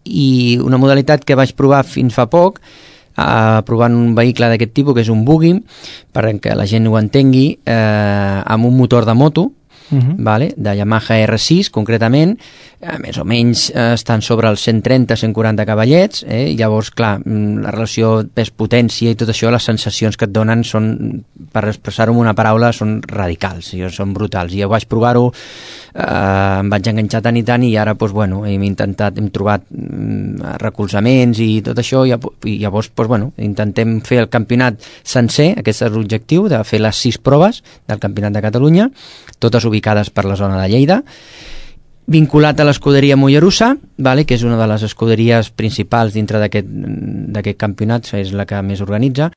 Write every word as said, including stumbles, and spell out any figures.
i una modalitat que vaig provar fins fa poc, Uh, provant un vehicle d'aquest tipus, que és un buggy, perquè la gent ho entengui, uh, amb un motor de moto, uh-huh. vale? De Yamaha R sis concretament, uh, més o menys uh, estan sobre els cent trenta a cent quaranta cavallets, eh? Llavors, clar, la relació pes-potència i tot això, les sensacions que et donen són, per expressar-ho amb una paraula, són radicals, són brutals. I jo vaig provar-ho, Uh, em vaig enganxar tant i tant, i ara doncs, bueno, hem intentat, hem trobat um, recolzaments i tot això, i, i llavors doncs, bueno, intentem fer el campionat sencer. Aquest és l'objectiu, de fer les sis proves del Campionat de Catalunya, totes ubicades per la zona de Lleida, vinculat a l'escuderia Mollerussa, vale, que és una de les escuderies principals dintre d'aquest campionat, és la que més organitza.